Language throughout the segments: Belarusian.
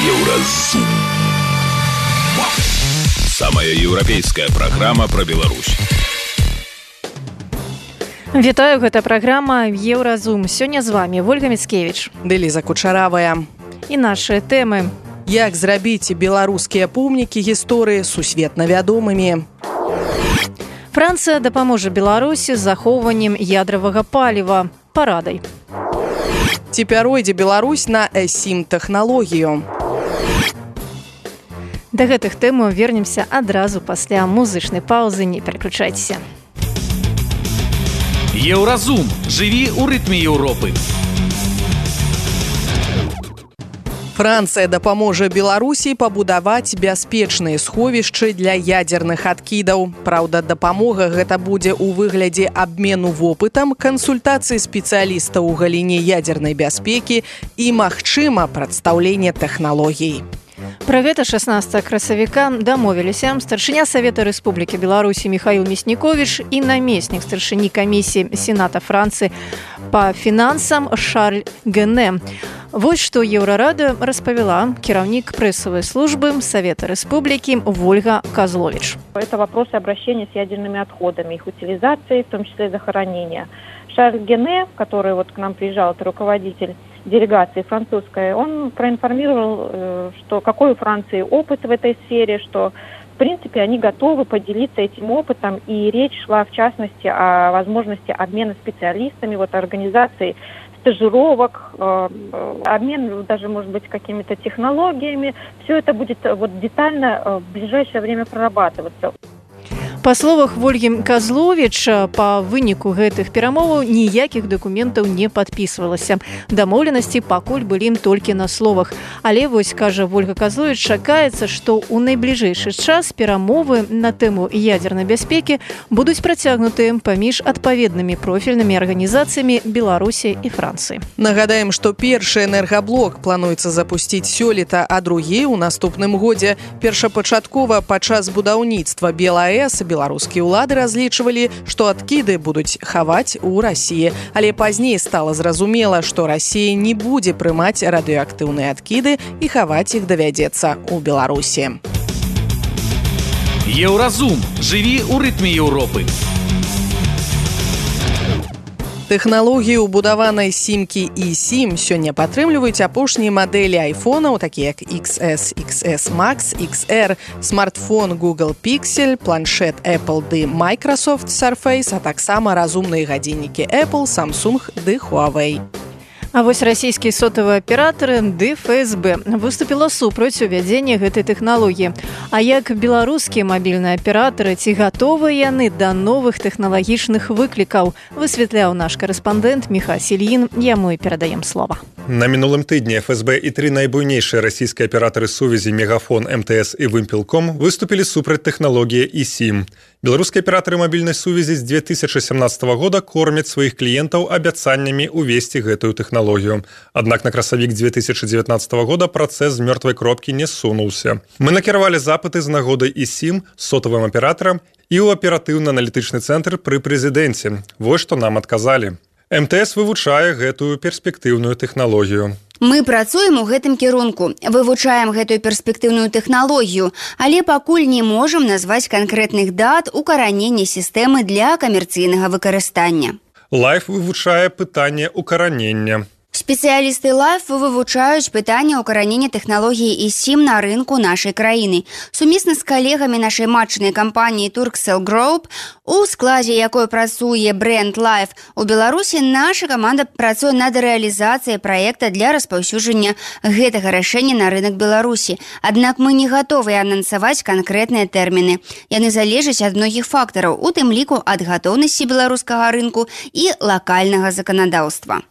Еўразум. Самая еўрапейская праграма пра Беларусь. Вітаю, гэта праграма Еўразум. Сёння з вами Вольга Міцкевіч, Ліза Кучаравая. І нашы тэмы. Як зрабіць беларускія помнікі гісторыі сусветна вядомымі? Францыя дапаможа Беларусі з захоўваннем ядравага паліва парадай. Ці пяройдзе Беларусь на E-SIM тэхналогію? Да гэтых тэмаў вернемся адразу пасля музычнай паўзы, не пераключайцеся. Еўразум. Жыві ў рытме Еўропы. Францыя дапаможа Беларусі пабудаваць бяспечныя сховішчы для ядзерных адкідаў. Праўда, дапамога гэта будзе ў выглядзе абмену вопытам, кансультацыі спецыялістаў у галіне ядзернай бяспекі і, магчыма, прадстаўлення тэхналогій. Пра гэта 16 красавіка дамовіліся старшыня Савета Рэспублікі Беларусі Міхаіл Мясніковіч і намеснік старшыні камісіі Сената Францыі па фінансам Шарль Гене. Вось што Еўрарада распавяла кіраўнік прэсавай службы Совета Республики Вольга Козлович. Это вопросы обращения с ядерными отходами, их утилизации, в том числе захоронения. Шарль Гене, который вот к нам приезжал, это руководитель делегации французской, он проинформировал, что какой у Франции опыт в этой сфере, что в принципе они готовы поделиться этим опытом, и речь шла в частности о возможности обмена специалистами, вот организации стажировок, обмен даже, может быть, какими-то технологиями. Все это будет вот детально в ближайшее время прорабатываться. Па словах Вольгі Козловіча, па выніку гэтых перамоваў ніякіх дакументаў не падпісвалася. Дамоўленасці пакуль былі толькі на словах. Але вось, кажа Вольга Козловіч, чакаецца, што ў найбліжэйшы час перамовы на тэму ядзернай бяспекі будуць працягнутыя паміж адпаведнымі профільнымі арганізацыямі Беларусі і Францыі. Нагадаем, што першы энергаблок плануецца запусціць сёлета, а другі ў наступным годзе. Першапачаткова падчас будаўніцтва БелАЭС беларускія ўлады разлічвалі, што адкіды будуць хаваць у Расіі. Але пазней стала зразумела, што Расія не будзе прымаць радыеактыўныя адкіды і хаваць іх давядзецца ў Беларусі. Еўразум. Жыві ў рытме Еўропы. Тэхналогіі ўбудаванай сімкі E-SIM сёння падтрымліваюць апошнія мадэлі айфонаў, такія як XS, XS Max, XR, смартфон Google Pixel, планшет Apple ды Microsoft Surface, а таксама разумныя гадзіннікі Apple, Samsung ды Huawei. А вось расійскія сотавыя аператары ды ФСБ выступіла супраць увядзення гэтай тэхналогіі. А як беларускія мабільныя аператары, ці гатовыя яны да новых тэхналагічных выклікаў, высвятляў наш корэспандэнт Міха Сільін, яму і перадаем слова. На мінулым тыдні ФСБ і тры найбуйнейшыя расійскія аператары сувязі Мегафон, МТС і Вымпелком выступілі супраць тэхналогіі E-SIM. Беларускія аператары мабільнай сувязі з 2017 года кормяць сваіх кліентаў абяцаннямі увесці гэтую тэхналогію. Аднак на красавік 2019 года працэс з мёртвай кропкі не сунуўся. Мы накіравалі запыты з нагодай E-SIM сотавым аператарам і ў аператыўна-аналітычны цэнтр пры прэзідэнце. Вось што нам адказалі. МТС вывучае гэтую перспектыўную тэхналогію. Мы працуем у гэтым кірунку, вывучаем гэтую перспектыўную тэхналогію, але пакуль не можам назваць канкрэтных дат укаранення сістэмы для камерцыйнага выкарыстання. Лайф вывучае пытанне укаранення. Спецыялісты Life вывучаюць пытанне укаранення тэхналогіі E-SIM на рынку нашай краіны. Сумесна з калегамі нашай матчнай кампаніі Turkcell Group, у складзе якой працуе бренд Life у Беларусі, наша каманда працуе над рэалізацыяй праекта для распаўсюджання гэтага рашэння на рынак Беларусі. Аднак мы не гатовыя анансаваць канкрэтныя тэрміны. Яны залежаць ад многіх фактараў, у тым ліку ад гатоўнасці беларускага рынку і лакальнага заканадаўства.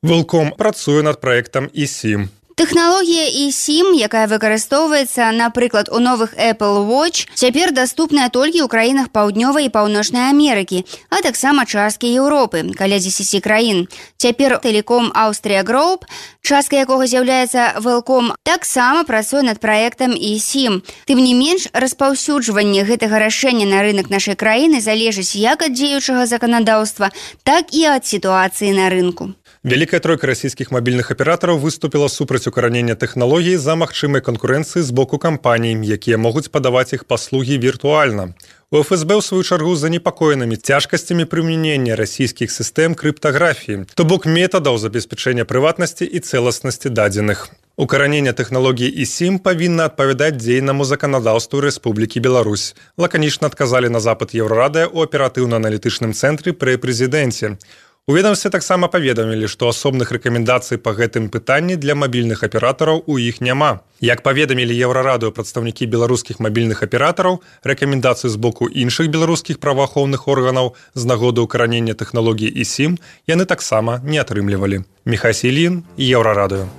Вэлком працуе над праектам E-SIM. Тэхналогія E-SIM, якая выкарыстоўваецца, напрыклад, у новых Apple Watch, цяпер даступная толькі ў краінах Паўднёвай і Паўночнай Амерыкі, а таксама часткі Еўропы, каля 10 краін. Цяпер Telecom Austria Group, частка якога з'яўляецца Wellcom, таксама працуе над праектам E-SIM. Тым не менш, распаўсюджванне гэтага рашэння на рынак нашай краіны залежыць як ад дзеючага заканадаўства, так і ад сітуацыі на рынку. Вялікая тройка расійскіх мабільных аператараў выступіла супраць укаранення тэхналогій за магчымай канкурэнцыі з боку кампаній, якія могуць падаваць іх паслугі віртуальна. У ФСБ, ў сваю чаргу, занепакоенымі цяжкасцямі прымянення расійскіх сістэм крыптаграфіі, то бок метадаў забеспячэння прыватнасці і цэласнасці дадзеных. Укаранение тэхналогій eSIM павінна адпавядаць дзейнаму заканадаўству Рэспублікі Беларусь. Лаканічна адказалі на запыт Еўрарадыа ў аператыўна-аналітычным цэнтры пры прэзідэнце. У ведомстве таксама паведамілі, што асобных рэкамендацый па гэтым пытанні для мабільных аператараў у іх няма. Як паведамілі Еўрарадыо прадстаўнікі беларускіх мабільных аператараў, рэкамендацыі з боку іншых беларускіх праваахоўных органаў з нагоды ўкаранення тэхналогій eSIM яны таксама не атрымлівалі. Міхай Сілін, Еўрарадыо.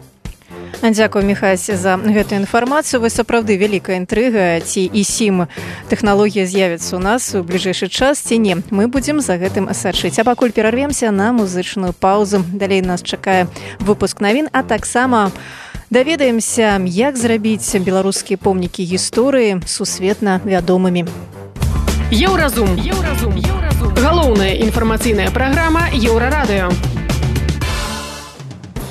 Дзякую, Міхась, за гэтую інфармацыю. Вы сапраўды вялікая інтрыга, ці eSIM тэхналогія з'явіцца ў нас у бліжэйшы час, ці не. Мы будзем за гэтым сачыць. А пакуль перарвемся на музычную паузу. Далей нас чакае выпуск навін, а таксама даведаемся, як зрабіць беларускія помнікі гісторыі сусветна вядомымі. Еўразум. Галоўная інфармацыйная праграма Еўрарадыо.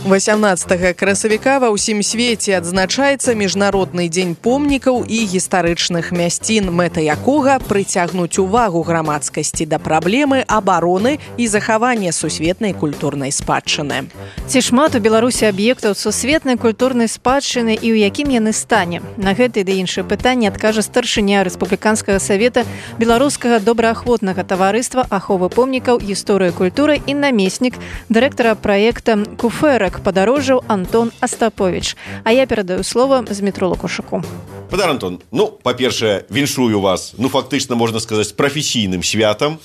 18 красавіка ва ўсім свеце адзначаецца міжнародны дзень помнікаў і гістарычных мясцін, мэта якога прыцягнуць увагу грамадскасці да праблемы абароны і захавання сусветнай культурнай спадчыны. Ці шмат у Беларусі аб'ектаў сусветнай культурнай спадчыны і ў якім яны стане? На гэтае ды іншае пытанне адкажа старшыня Рэспубліканскага савета беларускага добраахвотнага таварыства аховы помнікаў, гісторыі культуры і намеснік дырэктара праекта «Куфэрак» падарожжаў Антон Астапович. А я перадаю слово Змітру Лукашуку. Падар Антон, па-першае, віншую вас, фактычна, можна сказаць, прафесійным святам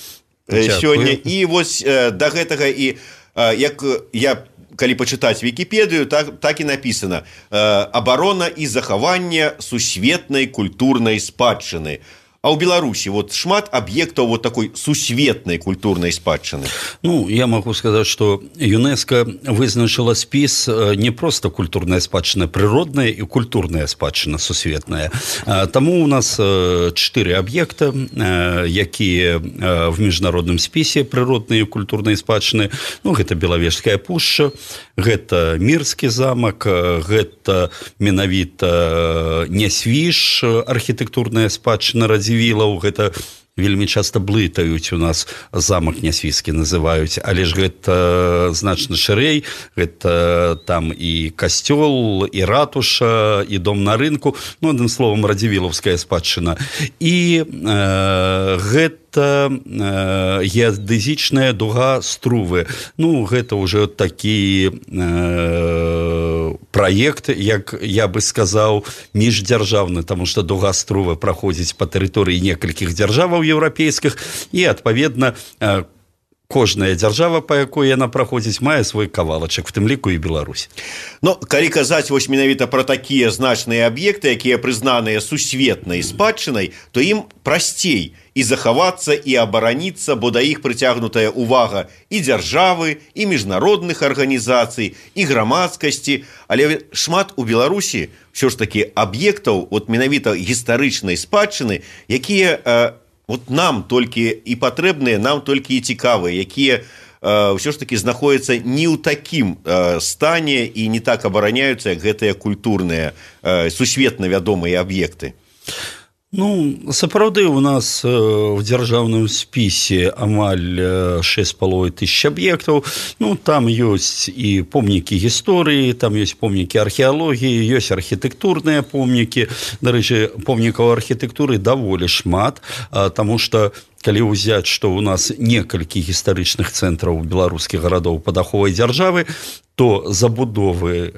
сёння. І вось да гэтага, і як я, калі пачытаць Вікіпедыю, так і напісана: абарона і захаванне сусветнай культурнай спадчыны. А ў Беларусі шмат аб'ектаў такой сусветнай культурнай спадчыны. Я могу сказать, что ЮНЕСКО вызначила спіс не просто культурная спадчына, природная и культурная спадчына сусветная. Таму у нас 4 аб'екта, якія в міжнародным спісе природныя и культурныя спадчыны. Гэта Белавежская пушча, гэта Мірскі замак, гэта менавіта Нясвіж, архітэктурная спадчына Радзівілаў. Гэта вельмі часта блытаюць у нас, замак Нясвіжскі называюць, але ж гэта значна шырэй, гэта там і касцёл, і ратуша, і дом на рынку, адным словам, радзівілаўская спадчына. І гэта геадэзічная дуга Струвы. Гэта ўжо такі праект, як я бы сказаў, міждзяржаўны, таму што дуга Струвы праходзіць па тэрыторыі некалькіх дзяржаваў еўрапейскіх, і, адпаведна, кожная дзяржава, па якой яна праходзіць, мае свой кавалачак, в тым ліку і Беларусь. Калі казаць менавіта пра такія значныя аб'екты, якія прызнаныя сусветнай спадчынай, то ім прасцей і захавацца, і абараніцца, бо да іх прыцягнутая увага і дзяржавы, і міжнародных арганізацый, і грамадскасці. Але шмат у Беларусі ўсё ж такі аб'ектаў менавіта гістарычнай спадчыны, якія нам толькі і патрэбныя, нам толькі і цікавыя, якія ўсё ж такі знаходзяцца не ў такім стане і не так абараняюцца, як гэтыя культурныя, сусветна вядомыя аб'екты. Сапраўды, у нас в дзяржаўным спісе амаль 6,5 тысяч аб'ектаў. Там ёсць і помнікі гісторыі, там ёсць помнікі археалогіі, ёсць архітэктурныя помнікі. Дарэчы, помнікаў архітэктуры даволі шмат, таму што калі ўзяць, што ў нас некалькі гістарычных цэнтраў беларускіх гарадоў пад аховай дзяржавы, то забудовы,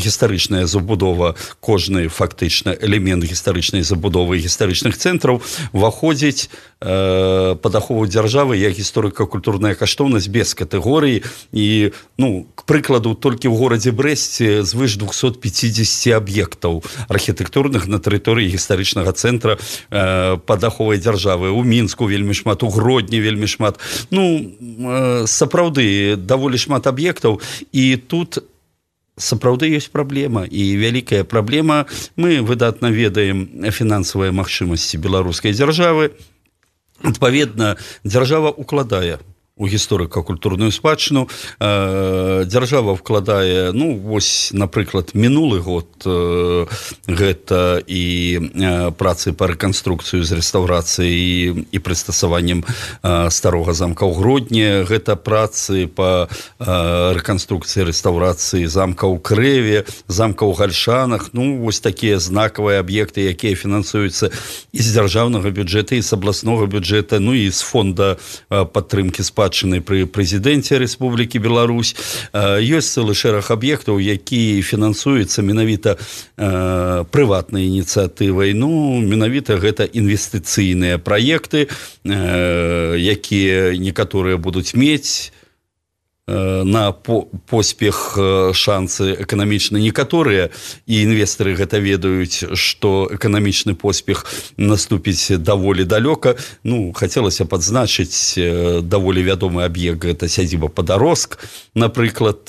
гістарычная забудова, кожны фактычна элемент гістарычнай забудовы гістарычных цэнтраў уваходзіць пад ахову дзяржавы як гісторыка-культурная каштоўнасць без катэгорыі. І, к прыкладу, толькі ў горадзе Брэсце звыш 250 аб'ектаў архітэктурных на тэрыторыі гістарычнага цэнтра пад аховай дзяржавы. У Мінску вельмі шмат, у Гродні вельмі шмат. Сапраўды, даволі шмат аб'ектаў, і тут сапраўды ёсць праблема, і вялікая праблема. Мы выдатна ведаем фінансавыя магчымасці беларускай дзяржавы. Адпаведна, дзяржава укладае у гісторыка-культурную спадчыну. Дзяржава вкладае, ну, вось, напрыклад, мінулы год гэта і працы па рэканструкцыю з рэстаўрацыяй і прыстасаваннем старога замка ў Гродні, гэта працы па рэканструкцыі рэстаўрацыі замка ў Крэве, замка ў Гальшанах, ну, вось такія знакавыя аб'екты, якія фінансуюцца і з дзяржаўнага бюджэта, і з абласнога бюджэта, ну, і з фонда падтрымкі спадчыны пры прэзідэнце Рэспублікі Беларусь. Ёсць цэлы шэраг аб'ектаў, які фінансуюцца менавіта прыватнай ініцыятывай. Ну, менавіта гэта інвестыцыйныя праекты, якія некаторыя будуць мець на поспех шансы эканамічны. Некаторыя і інвестары гэта ведаюць, што эканамічны поспех наступіць даволі далёка. Ну, хацелася падзначыць даволі вядомы аб'ект, гэта сядзіба Падарожск, напрыклад.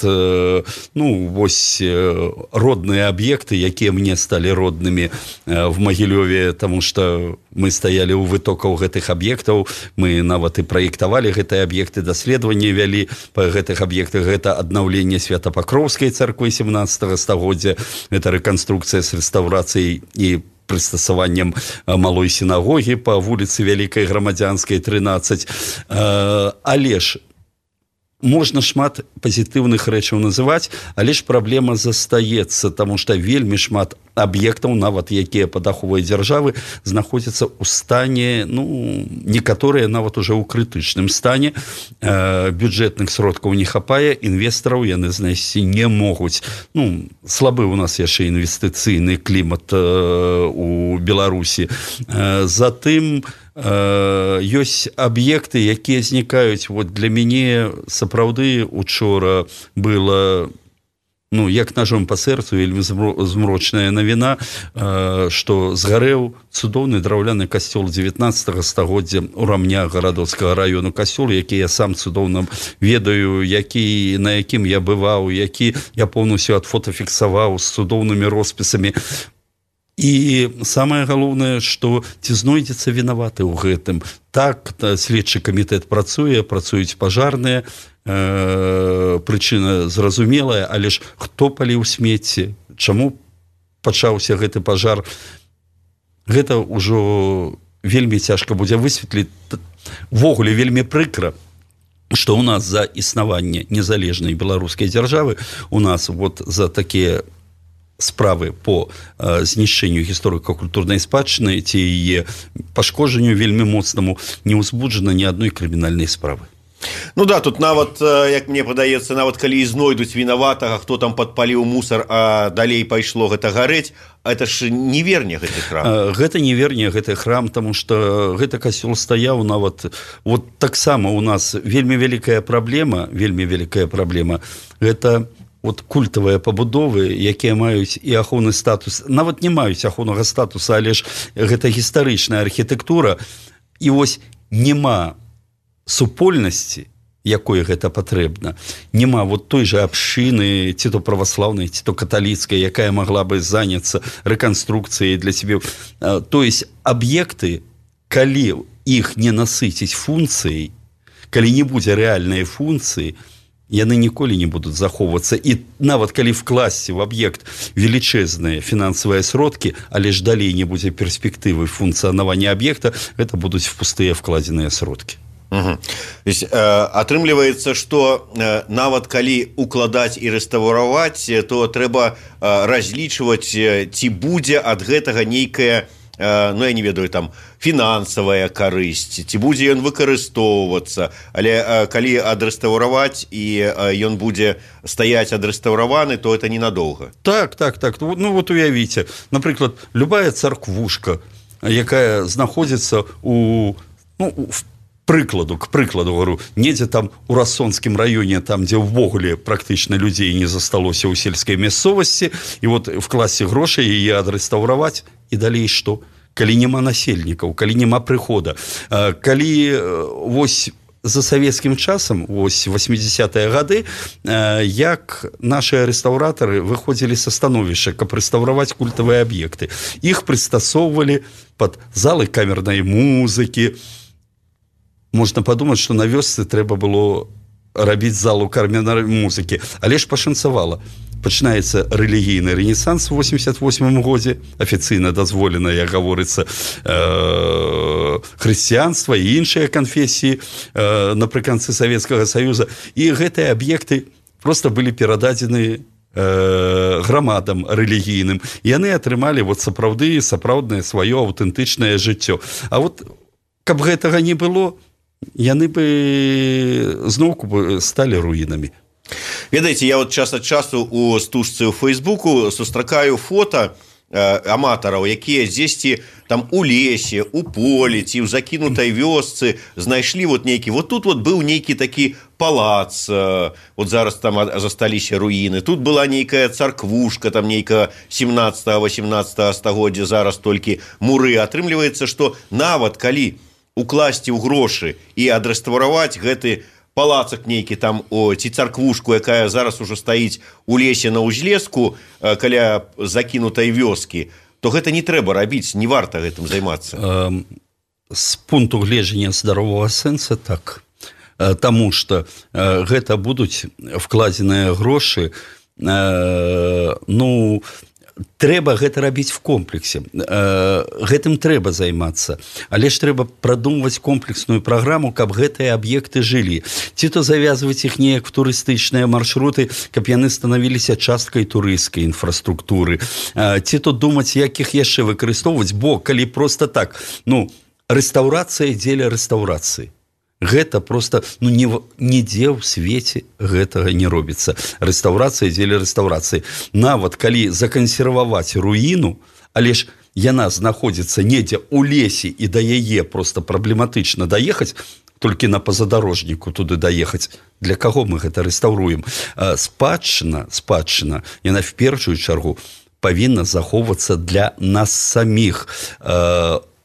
Ну, вось родныя аб'екты, якія мне сталі роднымі в Магілёве, таму што мы стаялі ў вытокаў гэтых аб'ектаў, мы нават і праектавалі гэтыя аб'екты, даследаванні вялі па гэтых аб'ектах. Гэта аднаўленне Свята-Пакроўскай царквы 17 стагоддзя, гэта рэканструкцыя з рэстаўрацыяй і прыстасаваннем малой сінагогі па вуліцы Вялікай Грамадзянскай 13. Але ж можна шмат пазітыўных рэчаў называць, але ж праблема застаецца, таму што вельмі шмат аб'ектаў, нават якія пад аховай дзяржавы, знаходзяцца ў стане, ну, некаторыя нават уже ў крытычным стане. Бюджэтных сродкаў не хапае, інвестараў яны знайсці не могуць. Ну, слабы у нас яшчэ інвестыцыйны клімат у Беларусі. Затым ёсць аб'екты, якія знікаюць. Вот для мяне сапраўды учора была, ну, як ножом па сэрцу, вельмі змрочная навіна, што згарэў цудоўны драўляны касцёл 19 стагоддзя ў Рамня гарадоцкага раёну, касцёл, які я сам цудоўна ведаю, на якім я бываў, які я поўнасцю адфотафіксаваў з цудоўнымі роспісамі. І самае галоўнае, што ці знойдзецца вінаваты ў гэтым. Так, следчы камітэт працуюць пажарныя, прычына зразумелая, але ж хто паліў смецце, чаму пачаўся гэты пажар, гэта ўжо вельмі цяжка будзе высветліць. Ввогуле вельмі прыкра, што ў нас за існаванне незалежнай беларускай дзяржавы, у нас вот за такія справы по знішчэнню гісторыка-культурнай спадчыны ці яе пашкоджанню вельмі моцнаму не ўзбуджана ні адной крымінальнай справы. Ну да, тут нават, як мне падаецца, нават калі і знойдуць вінаватага, хто там падпаліў мусар, а далей пайшло гэта гарэць, это ж не верне гэты храм. Гэта не верне гэты храм, таму што гэты касцёл стаяў нават. Вот таксама у нас вельмі вялікая праблема, гэта вот культавыя пабудовы, якія маюць і ахоўны статус, нават не маюць ахоўнага статуса, але ж гэта гістарычная архітэктура, і вось няма супольнасці, якой гэта патрэбна, няма вот той жа абшчыны, ці то праваслаўнай, ці то каталіцкай, якая магла бы заняцца рэканструкцыяй для сябе. То есть аб'екты, калі іх не насыціць функцыяй, калі не будзе рэальнай функцыі, яны ніколі не будуць захоўвацца. І нават калі вкласці в аб'ект велічэзныя фінансавыя сродкі, але ж далей не будзе перспектывы функцыянавання аб'екта, гэта будуць пустыя вкладзеныя сродкі. Атрымліваецца, што нават калі укладаць і рэстаўраваць, то трэба разлічваць, ці будзе ад гэтага нейкая, ну, я не ведаю, там, фінансавая карысць, ці будзе ён выкарыстоўвацца, але калі адрэстаўраваць і ён будзе стаяць адрэстаўраваны, то это ненадоўга. Так. Ну, вот уявіце, напрыклад, любая царквушка, якая знаходзіцца к прыкладу, говорю, недзе там у Рассонскім раёне, там, дзе ўвогуле практычна людзей не засталося ў сельскай мясцовасці, і вот вкласці грошай яе адрэстаўраваць, і далей што? Калі няма насельнікаў, калі няма прыхода, калі вось за савецкім часам, вось 80-е гады, як нашыя рэстаўратары выходзілі са становішча, каб рэстаўраваць культавыя аб'екты. Іх прыстасоўвалі пад залы камернай музыкі, можна падумаць, што на вёсцы трэба было рабіць залу кармянай музыкі, але ж пашанцавала. Пачынаецца рэлігійны рэнесанс у 88 годзе, афіцыйна дазволена, як гаворыцца, хрысціянства і іншыя канфесіі напрыканцы Савецкага Саюза, і гэтыя аб'екты проста былі перададзены грамадам рэлігійным. Яны атрымалі сапраўднае сваё аўтэнтычнае жыццё. А вот, каб гэтага не было, яны бы зноўку сталі руінамі. Ведаеце, я вот час ад часу у стужцы ў Фейсбуку сустракаю фота аматараў, якія дзесьці там у лесе, у полі ці ў закінутай вёсцы знайшлі вот нейкі, вот тут вот быў нейкі такі палац, вот зараз там засталіся руіны, тут была нейкая царквушка, там нейкая 17-18 стагоддзя, зараз толькі муры. Атрымліваецца, што нават калі укласці ў грошы і адрэстаўраваць гэты палацак нейкі там, ці царквушку, якая зараз ужо стаіць у лесе на ўзлеску каля закінутай вёскі, то гэта не трэба рабіць, не варта гэтым займацца. З пункту гледжання здаровага сэнса так. Таму што гэта будуць вкладзеныя грошы, трэба гэта рабіць в комплексе. Гэтым трэба займацца. Але ж трэба прадумваць комплексную праграму, каб гэтыя аб'екты жылі. Ці то завязваць іх неяк в турыстычныя маршруты, каб яны станавіліся часткай турысцкай інфраструктуры. Ці то думаць, як іх яшчэ выкарыстоўваць, бо калі проста так, рэстаўрацыя дзеля рэстаўрацыі. Гэта проста, нідзе ў свеце гэтага не робіцца. Рэстаўрацыя дзеля рэстаўрацыі. Нават калі закансерваваць руіну, але ж яна знаходзіцца недзе ў лесе і да яе проста праблематычна даехаць, толькі на пазадарожніку туды даехаць. Для каго мы гэта рэстаўруем? Спадчына, яна в першую чаргу павінна захоўвацца для нас саміх.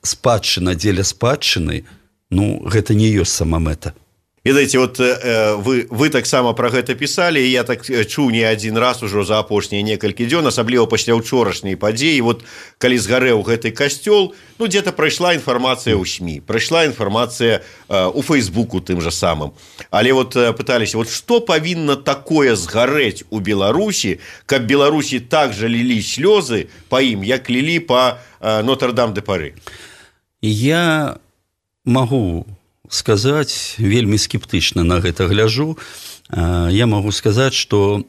Спадчына дзеля спадчыны, гэта не ёсць сама мэта. Ведаеце, вот вы таксама пра гэта пісалі, і я так чуў не адзін раз ужо за апошнія некалькі дзён, асабліва пасля ўчорашняй падзеі. Вот калі згарэў гэты касцёл, дзе-то прайшла інфармацыя ў СМІ, прайшла інфармацыя ў Фейсбуку тым жа самым. Але вот пыталіся, вот што павінна такое згарэць у Беларусі, каб Беларусі так жа лілі слёзы па ім, як лілі па Нотр-Дам-де-Пары? Я магу сказаць, вельмі скептычна на гэта гляжу, я магу сказаць, што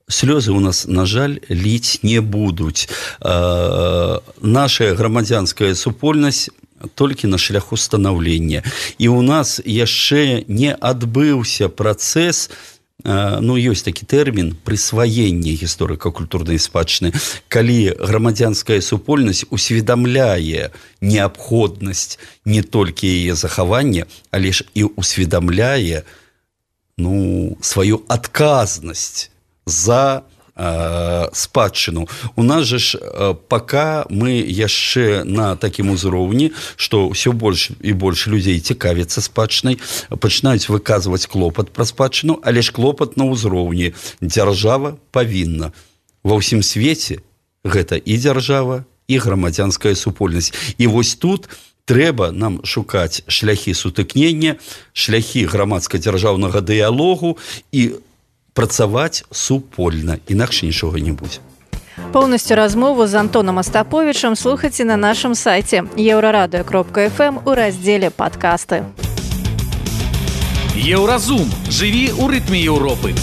слёзы у нас, на жаль, ліць не будуць. Наша грамадзянская супольнасць толькі на шляху станаўлення. І ў нас яшчэ не адбыўся працэс, ёсць такі тэрмін прысваення гісторыка-культурнай спадчыны, калі грамадзянская супольнасць усведамляе неабходнасць не толькі яе захавання, але ж і усведамляе сваю адказнасць за спадчыну. У нас жа ж пока мы яшчэ на такім узроўні, што ўсё больш і больш людзей цікавяцца спадчынай, пачынаюць выказваць клопат пра спадчыну, але ж клопат на ўзроўні. Дзяржава павінна. Ва ўсім свеце гэта і дзяржава, і грамадзянская супольнасць. І вось тут трэба нам шукаць шляхі сутыкнення, шляхі грамадска-дзяржаўнага дыялогу і працаваць супольна, інакш нічога не будзе. Поўнасцю размову з Антонам Астаповічам слухайце на нашым сайце еўрарадыё.фм у раздзеле «Падкасты». Еўразум. Жыві ў рытме Еўропы.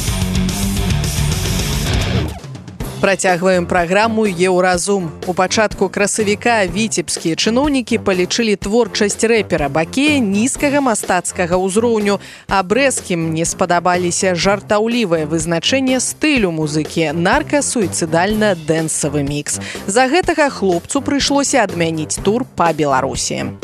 Працягваем праграму «Еўразум». У пачатку красавіка віцебскія чыноўнікі палічылі творчасць рэпера Бакея нізкага мастацкага ўзроўню, а брэскім не спадабаліся жартаўлівае вызначэнне стылю музыкі нарка-суіцыдальна-дэнсавы мікс. За гэтага хлопцу прыйшлося адмяніць тур па Беларусі.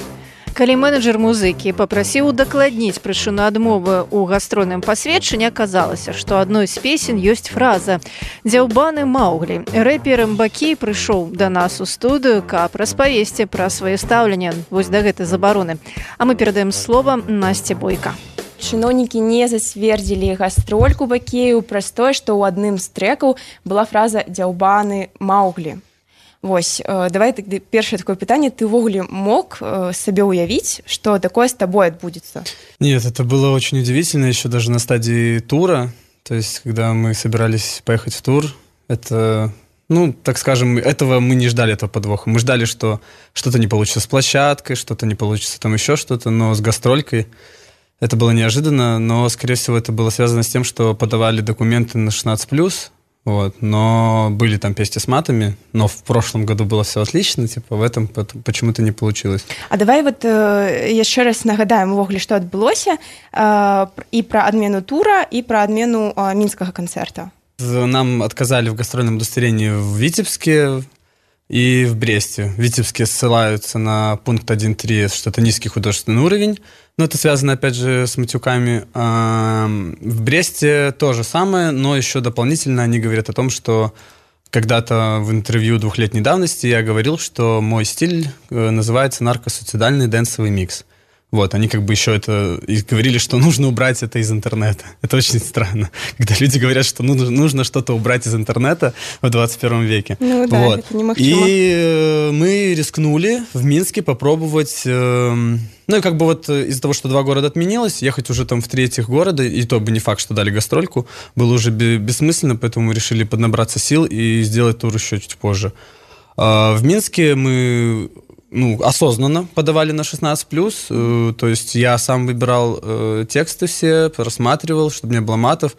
Калі менеджер музыкі папрасіў удакладніць прычыну адмовы ў гастрольным пасведчанні, аказалася, што адной з песень ёсць фраза «Дзяўбаны Мауглі». Рэпер Бакей прыйшоў да нас у студыю, каб распавесці пра сваё стаўленне вось да гэтай забароны. А мы перадаем слова Насце Бойка. Чыноўнікі не зацвердзілі гастрольку Бакею праз тое, што ў адным з трэкаў была фраза «Дзяўбаны Мауглі». Вось, давай тогда першае такое пытанне. Ты ўвогуле мог себе уявить, что такое с тобой отбудется? Нет, это было очень удивительно, еще даже на стадии тура. То есть, когда мы собирались поехать в тур, это, ну, так скажем, этого мы не ждали, этого подвоха. Мы ждали, что что-то не получится с площадкой, что-то не получится там еще что-то, но с гастролькой это было неожиданно, но, скорее всего, это было связано с тем, что подавали документы на 16+, вот, но были там песни с матами, но в прошлом году было все отлично, типа в этом почему-то не получилось. А давай вот еще раз нагадаем увогуле, что адбылося и про адмену тура, и про адмену мінскага концерта. Нам отказали в гастрольном удостоверении в Витебске и в Бресте. В Витебске ссылаются на пункт 1.3, что это низкий художественный уровень, но это связано, опять же, с матюками. В Бресте то же самое, но еще дополнительно они говорят о том, что когда-то в интервью 2-летней давности я говорил, что мой стиль называется наркосуицидальный дэнсовый микс. Вот, они как бы еще это и говорили, что нужно убрать это из интернета. Это очень странно, когда люди говорят, что нужно что-то убрать из интернета в 21 веке. Ну да, вот. это немыхчимо. И мы рискнули в Минске попробовать... Ну и как бы вот из-за того, что 2 города отменилось, ехать уже там в 3 города, и то бы не факт, что дали гастрольку, было уже бессмысленно, поэтому мы решили поднабраться сил и сделать тур еще чуть позже. В Минске мы... осознанно подавали на 16+, то есть я сам выбирал тексты все, просматривал, чтобы не было матов,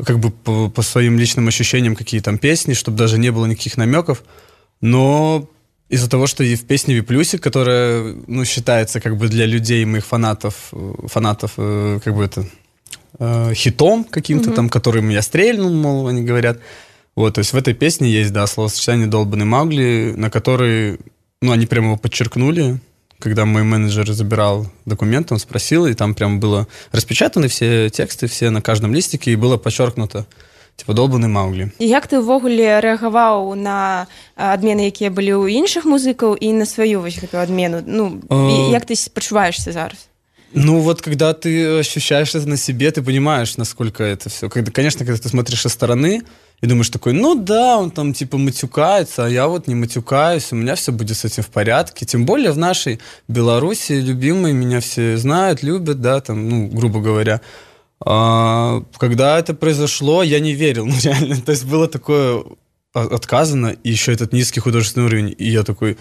как бы по своим личным ощущениям, какие там песни, чтобы даже не было никаких намеков, но из-за того, что и в песне «Виплюсик», которая, считается как бы для людей, моих фанатов как бы это хитом каким-то там, которым я стрельнул, мол, они говорят, вот, то есть в этой песне есть, да, словосочетание «долбанный Маугли», на который... они прямо его подчеркнули, когда мой менеджер забирал документы, он спросил, и там прям было распечатаны все тексты, все на каждом листике, и было подчеркнуто, типа, долбанный Маугли. І як ти ўвогуле рэагаваў на адмены, якія былі ў іншых музыкаў, і на сваю вось гэтую адмену? Як ты пачуваешься зараз? Вот когда ты ощущаешь это на себе, ты понимаешь, насколько это все. Конечно, когда ты смотришь со стороны и думаешь такой, да, он там типа матюкается, а я вот не матюкаюсь, у меня все будет с этим в порядке. Тем более в нашей Беларуси любимые меня все знают, любят, да, там, грубо говоря. Когда это произошло, я не верил, реально. То есть было такое отказано, и еще этот низкий художественный уровень, и я такой...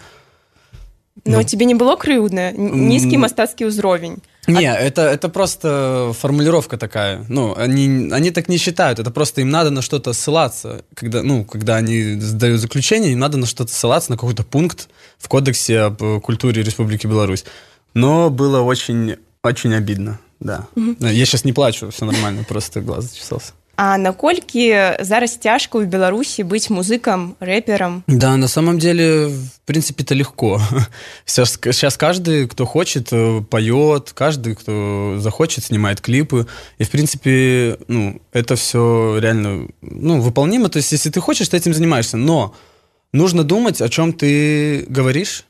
Но тебе не было крыўдна? Низкий мастацкі ўзровень? Не, это просто формулировка такая. Они так не считают. Это просто им надо на что-то ссылаться. Когда они сдают заключение, им надо на что-то ссылаться, на какой-то пункт в Кодексе об культуре Республики Беларусь. Но было очень, очень обидно, да. Я сейчас не плачу, все нормально, просто глаз зачесался. А наколькі зараз цяжка ў Беларусі быць музыкам, рэпером? Да, на самом деле, в принципе, это легко. Сейчас каждый, кто хочет, поет, каждый, кто захочет, снимает клипы. И, в принципе, это все реально выполнимо. То есть, если ты хочешь, ты этим занимаешься. Но нужно думать, о чем ты говоришь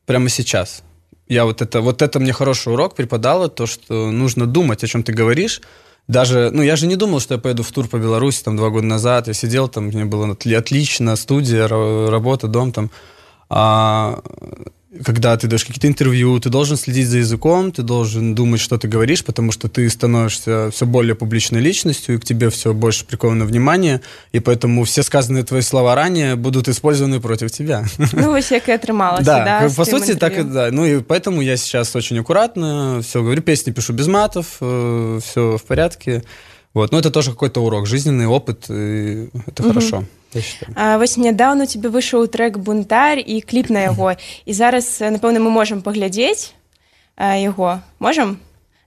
прямо сейчас. Вот это мне хороший урок преподало, то, что нужно думать, о чем ты говоришь. Даже, я же не думал, что я поеду в тур по Беларуси 2 года назад. Я сидел там, мне было отлично, студия, работа, дом там. А когда ты даешь какие-то интервью, ты должен следить за языком, ты должен думать, что ты говоришь, потому что ты становишься все более публичной личностью, и к тебе все больше приковано внимание, и поэтому все сказанные твои слова ранее будут использованы против тебя. Вось як и атрымалася, да? По сути, так и да. И поэтому я сейчас очень аккуратно все говорю, песни пишу без матов, все в порядке. Вот. Но это тоже какой-то урок, жизненный опыт, и это хорошо. Вось нядаўна у тебе выйшаў трек «Бунтарь» і кліп на яго. І зараз, напэўна, мы можам паглядзець яго. Можам?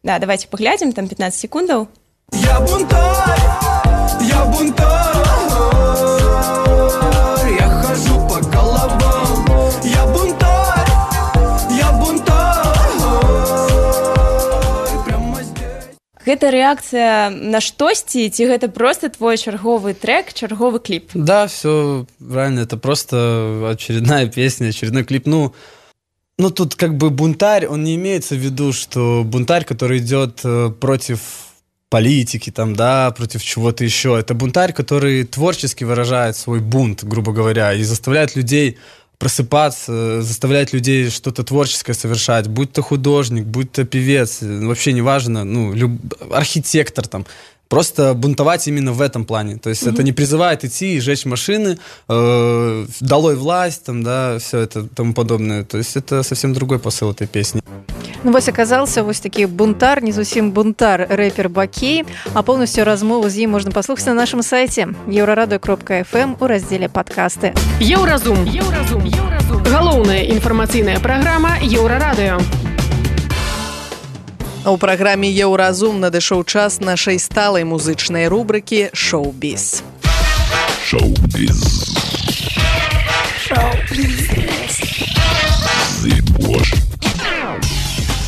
Да, давайте паглядзім, там 15 секундаў. Я бунтарь, я бунтарь, я хожу по головам. Я бунтарь, я бунтарь, прямо здесь. Гэта рэакцыя на штосьці, ці гэта просто твой чарговы трек, чарговы клип? Да, все правильно, это просто очередная песня, очередной клип. Тут как бы бунтарь, он не имеется в виду, что бунтарь, который идет против политики, там, да, против чего-то еще. Это бунтарь, который творчески выражает свой бунт, грубо говоря, и заставляет людей просыпаться, заставляет людей что-то творческое совершать, будь то художник, будь то певец, вообще неважно, архитектор там. Просто бунтовать именно в этом плане. То есть это не призывает идти и жечь машины, долой власть, там, да, все это тому подобное. То есть это совсем другой посыл этой песни. Вось аказался вось такі бунтар, не зусім бунтар, рэпер Бакей, а поўнасцю размову з ім можна паслухаць на нашым сайце еўрарадыё.фм у раздзеле падкасты. Еўразум. Галоўная інфармацыйная праграма Еўрарадыё. У праграме «Еўразум» надышоў час нашай сталай музычнай рубрыкі «Шоу-біз». Шоу-біз.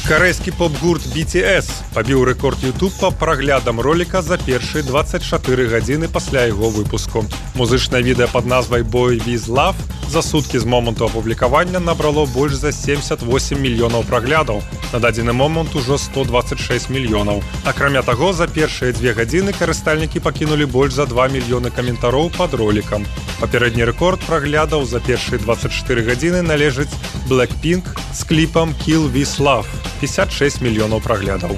Карэйскі поп-гурт BTS пабіў рэкорд YouTube па праглядам роліка за першыя 24 гадзіны пасля яго выпуску. Музычнае відэа пад назвай «Boy With Love» за суткі з моманту апублікавання набрало больш за 78 мільёнаў праглядаў. На дадзены момант ужо 126 мільёнаў. Акрамя таго, за першыя 2 гадзіны карыстальнікі пакінулі больш за 2 мільёны каментароў пад ролікам. Папярэдні рэкорд праглядаў за першыя 24 гадзіны належыць Blackpink з кліпам «Kill With Love» 56 мільёнаў праглядаў.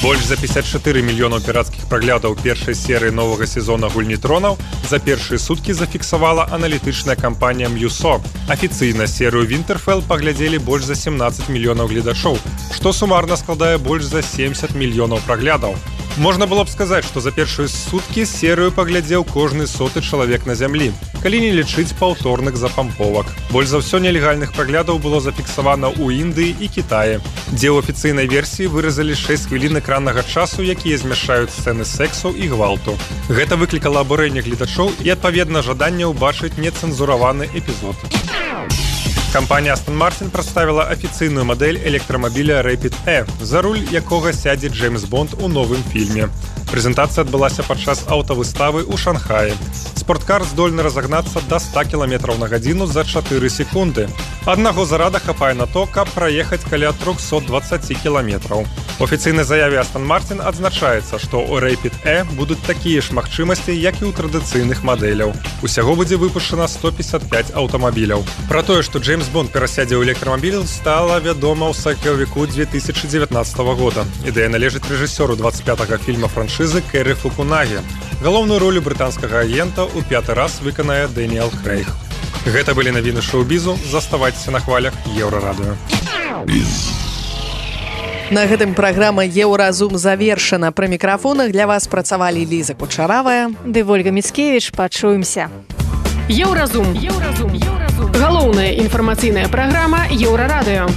Больш за 54 мільёнаў пірацкіх праглядаў першай серыі новага сезона «Гульні тронаў» за першыя суткі зафіксавала аналітычная кампанія Mewso. Афіцыйна серыю «Winterfell» паглядзелі больш за 17 мільёнаў гледачоў, што сумарна складае больш за 70 мільёнаў праглядаў. Можна было б сказаць, што за першыя суткі серыю паглядзеў кожны 100-ы чалавек на зямлі, калі не лічыць паўторных запамповак. Больш за ўсё нелегальных праглядаў было зафіксавана ў Індыі і Кітаі, дзе ў афіцыйнай версіі выразалі 6 хвілін экраннага часу, якія змяшаюць сцэны сексу і гвалту. Гэта выклікала абурэнне гледачоў і, адпаведна, жаданне ўбачыць нецэнзураваны эпізод. Кампанія Aston Martin прадставіла афіцыйную мадэль электрамабіля Rapid E, за руль якога сядзе Джеймс Бонд у новым фільме. Прэзентацыя адбылася падчас аўтавыставы ў Шанхаі. Спорткар здольны разагнацца да 100 км на гадзіну за 4 секунды. Аднаго зарада хапае на то, каб праехаць каля 320 км. У афіцыйнай заяве Aston Martin адзначаецца, што ў Rapid E будуць такія ж магчымасці, як і ў традыцыйных мадэляў. Усяго будзе выпушчана 155 аўтамабіляў. Пра тое, што Джеймс Бонд перасядзе ў электрамабіль, стала вядома ў сакавіку 2019 года. Ідэя належыць рэжысёру 25-го фільма франшызы Кэры Фукунагі. Галоўную ролю брытанскага агента ў 5-й раз выканае Дэніэл Крэйг. Гэта былі навіны шоу-бізу. Заставайцеся на хвалях Еўрарадыё. На гэтым праграма «Еўразум» завершана. Пры мікрафонах для вас працавалі Ліза Кучаравая ды Вольга Міцкевіч. Пачуемся. Еўразум. Галоўная інфармацыйная праграма Еўрарадыё.